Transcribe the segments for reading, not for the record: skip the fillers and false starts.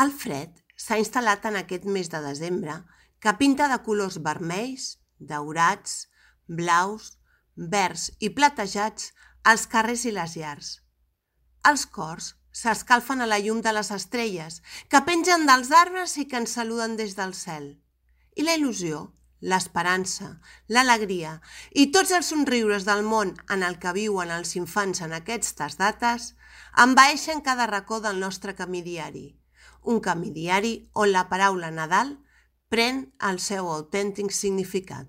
El fred s'ha instal·lat en aquest mes de desembre, que pinta de colors vermells, daurats, blaus, verds i platejats als carrers i les llars. Els cors s'escalfen a la llum de les estrelles, que pengen dels arbres i que ens saluden des del cel. I la il·lusió, l'esperança, l'alegria i tots els somriures del món en el que viuen els infants en aquestes dates envaeixen cada racó del nostre camí diari. Un camí diari on la paraula Nadal pren el seu autèntic significat.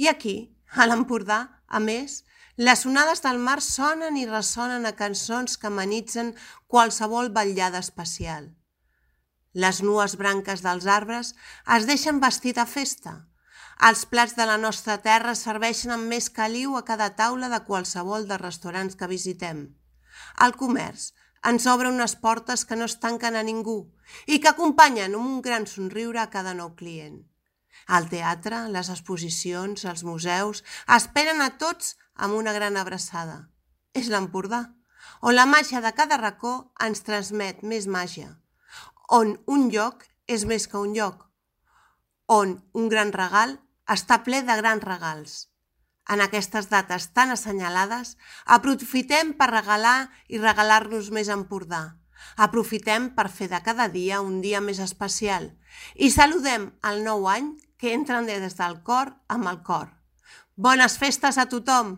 I aquí, a l'Empordà, a més, les onades del mar sonen i ressonen a cançons que amenitzen qualsevol vetllada especial. Les nues branques dels arbres es deixen vestir de festa. Els plats de la nostra terra serveixen amb més caliu a cada taula de qualsevol dels restaurants que visitem. El comerç ens obre unes portes que no es tanquen a ningú i que acompanyen amb un gran somriure a cada nou client. El teatre, les exposicions, els museus esperen a tots amb una gran abraçada. És l'Empordà, on la màgia de cada racó ens transmet més màgia, on un lloc és més que un lloc, on un gran regal està ple de grans regals. En aquestes dates tan assenyalades, aprofitem per regalar i regalar-nos més Empordà. Aprofitem per fer de cada dia un dia més especial i saludem el nou any que entra des del cor amb el cor. Bones festes a tothom!